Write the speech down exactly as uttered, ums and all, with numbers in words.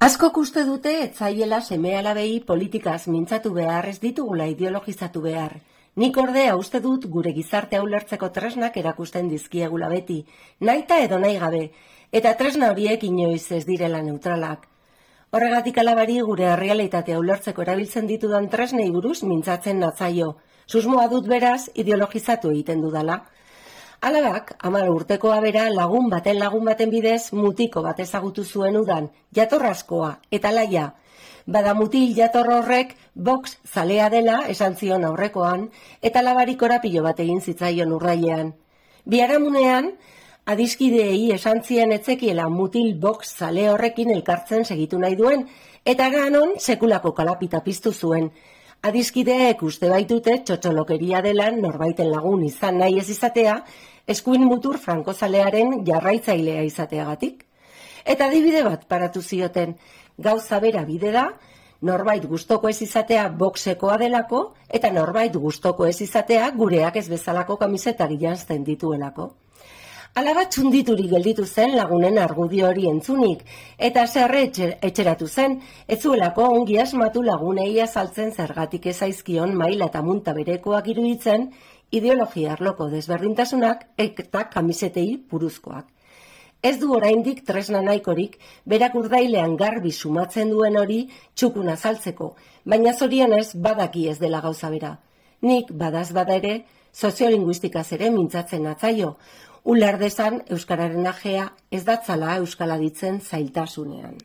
Askok uste dute etzaiela seme-alabei politikaz mintzatu behar, ez ditugula ideologizatu behar. Nik ordea uste dut gure gizartea ulertzeko tresnak erakusten dizkiegula beti, nahita edo nahi gabe, eta tresna horiek inoiz ez direla neutralak. Horregatik alabari gure errealitatea ulertzeko erabiltzen ditudan tresnei buruz mintzatzen natzaio. Susmoa dut beraz ideologizatu egiten dudala. Alabak, hamar urtekoa bera lagun baten lagun baten bidez mutiko bat ezagutu zuen udan, jatorrazkoa eta laia. Bada mutil jator horrek box zalea dela esan zion aurrekoan, eta alabari korapilo bat egin zitzaion urrailean. Biharamunean, adiskideei esan zien etzekiela mutil box zale horrekin elkartzen segitu nahi duen, eta ganon sekulako kalapita piztu zuen. Adiskideek uste baitute txotxolokeria dela norbaiten lagun izan nahi ez izatea, eskuin mutur frankozalearen jarraitzailea izateagatik. Eta adibide bat paratu zioten, gauza bera bide da, norbait gustoko ez izatea boxekoa delako, eta norbait gustoko ez izatea gureak ez bezalako kamisetak janzten dituelako. Alaba txundituri gelditu zen lagunen argudio hori entzunik, eta zerre etxeratu zen, ez zuelako ongi asmatu lagunei azaltzen zergatik ezaizkion maila eta munta berekoak iruditzen, ideologia arloko desberdintasunak eta kamisetei buruzkoak. Ez du oraindik tresna nahikorik, berak urdailean garbi sumatzen duen hori txukun azaltzeko, baina zorionez badaki ez dela gauza bera. Nik badaz bada ere, soziolinguistikaz ere mintzatzen natzaio, uler dezan euskararen ajea ez datzala euskala ditzen zailtasunean.